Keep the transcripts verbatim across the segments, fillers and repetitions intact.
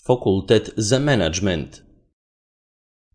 Fakultet za menadžment.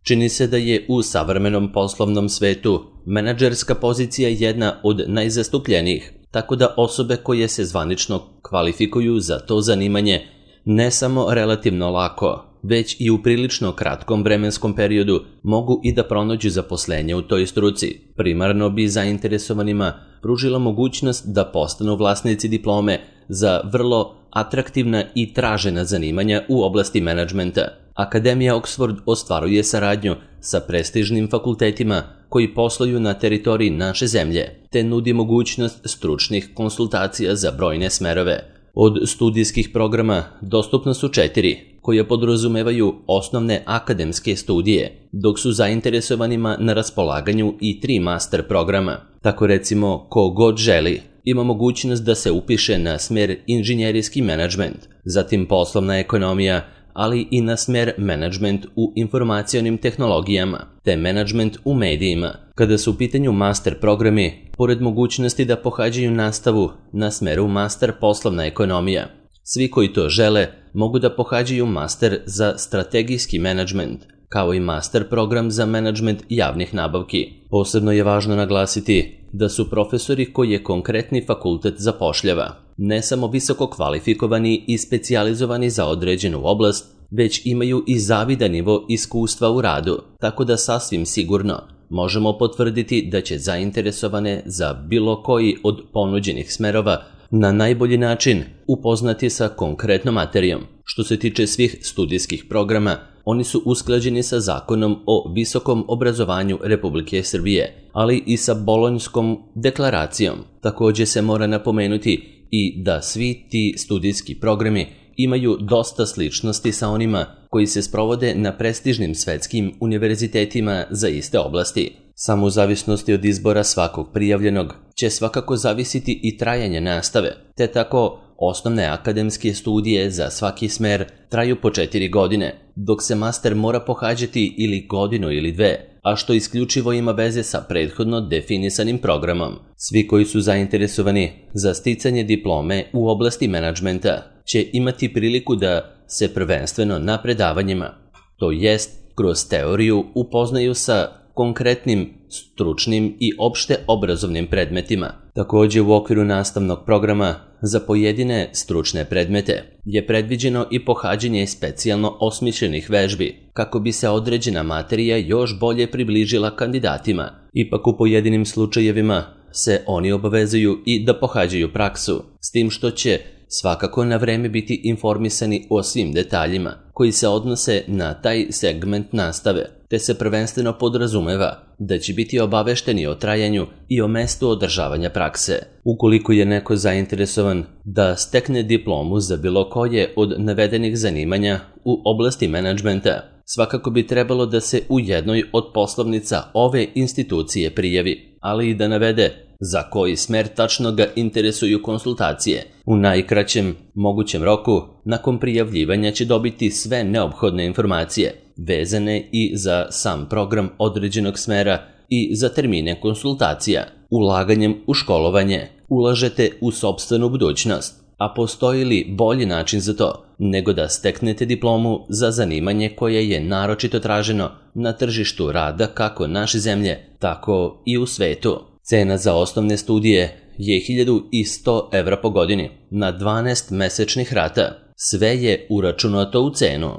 Čini se da je u savremenom poslovnom svetu menadžerska pozicija jedna od najzastupljenijih, tako da osobe koje se zvanično kvalifikuju za to zanimanje ne samo relativno lako, već i u prilično kratkom vremenskom periodu mogu i da pronađu zaposlenje u toj struci. Primarno bi zainteresovanima pružila mogućnost da postanu vlasnici diplome za vrlo atraktivna i tražena zanimanja u oblasti menadžmenta. Akademija Oxford ostvaruje saradnju sa prestižnim fakultetima koji posluju na teritoriji naše zemlje, te nudi mogućnost stručnih konsultacija za brojne smerove. Od studijskih programa dostupna su četiri, koje podrazumevaju osnovne akademske studije, dok su zainteresovanima na raspolaganju i tri master programa. Tako recimo, ko god želi, ima mogućnost da se upiše na smer inženjerijski menadžment, zatim poslovna ekonomija, ali i na smer menadžment u informacionim tehnologijama, te menadžment u medijima. Kada su u pitanju master programi, pored mogućnosti da pohađaju nastavu na smeru master poslovna ekonomija, svi koji to žele mogu da pohađaju master za strategijski menadžment, kao i master program za menadžment javnih nabavki. Posebno je važno naglasiti da su profesori koje konkretni fakultet zapošljava ne samo visoko kvalifikovani i specijalizovani za određenu oblast, već imaju i zavidan nivo iskustva u radu, tako da sasvim sigurno možemo potvrditi da će zainteresovane za bilo koji od ponuđenih smerova na najbolji način upoznati sa konkretnom materijom. Što se tiče svih studijskih programa, oni su usklađeni sa Zakonom o visokom obrazovanju Republike Srbije, ali i sa Bolonjskom deklaracijom. Također se mora napomenuti i da svi ti studijski programi imaju dosta sličnosti sa onima koji se sprovode na prestižnim svetskim univerzitetima za iste oblasti. Samo u zavisnosti od izbora svakog prijavljenog će svakako zavisiti i trajanje nastave, te tako osnovne akademske studije za svaki smer traju po četiri godine, dok se master mora pohađati ili godinu ili dve, a što isključivo ima veze sa prethodno definisanim programom. Svi koji su zainteresovani za sticanje diplome u oblasti menadžmenta će imati priliku da se prvenstveno na predavanjima, to jest kroz teoriju, upoznaju sa konkretnim, stručnim i opšte obrazovnim predmetima. Također u okviru nastavnog programa za pojedine stručne predmete je predviđeno i pohađanje specijalno osmišljenih vežbi, kako bi se određena materija još bolje približila kandidatima. Ipak u pojedinim slučajevima se oni obavezuju i da pohađaju praksu, s tim što će svakako na vreme biti informisani o svim detaljima koji se odnose na taj segment nastave, te se prvenstveno podrazumeva da će biti obavešteni o trajanju i o mestu održavanja prakse. Ukoliko je neko zainteresovan da stekne diplomu za bilo koje od navedenih zanimanja u oblasti menadžmenta, svakako bi trebalo da se u jednoj od poslovnica ove institucije prijavi, ali i da navede za koji smer tačno ga interesuju konsultacije. U najkraćem mogućem roku, nakon prijavljivanja će dobiti sve neophodne informacije, vezane i za sam program određenog smera i za termine konsultacija. Ulaganjem u školovanje ulažete u sopstvenu budućnost, a postoji li bolji način za to nego da steknete diplomu za zanimanje koje je naročito traženo na tržištu rada kako naše zemlje, tako i u svetu. Cena za osnovne studije je hiljadu sto evra po godini na dvanaest mesečnih rata. Sve je uračunato u cenu.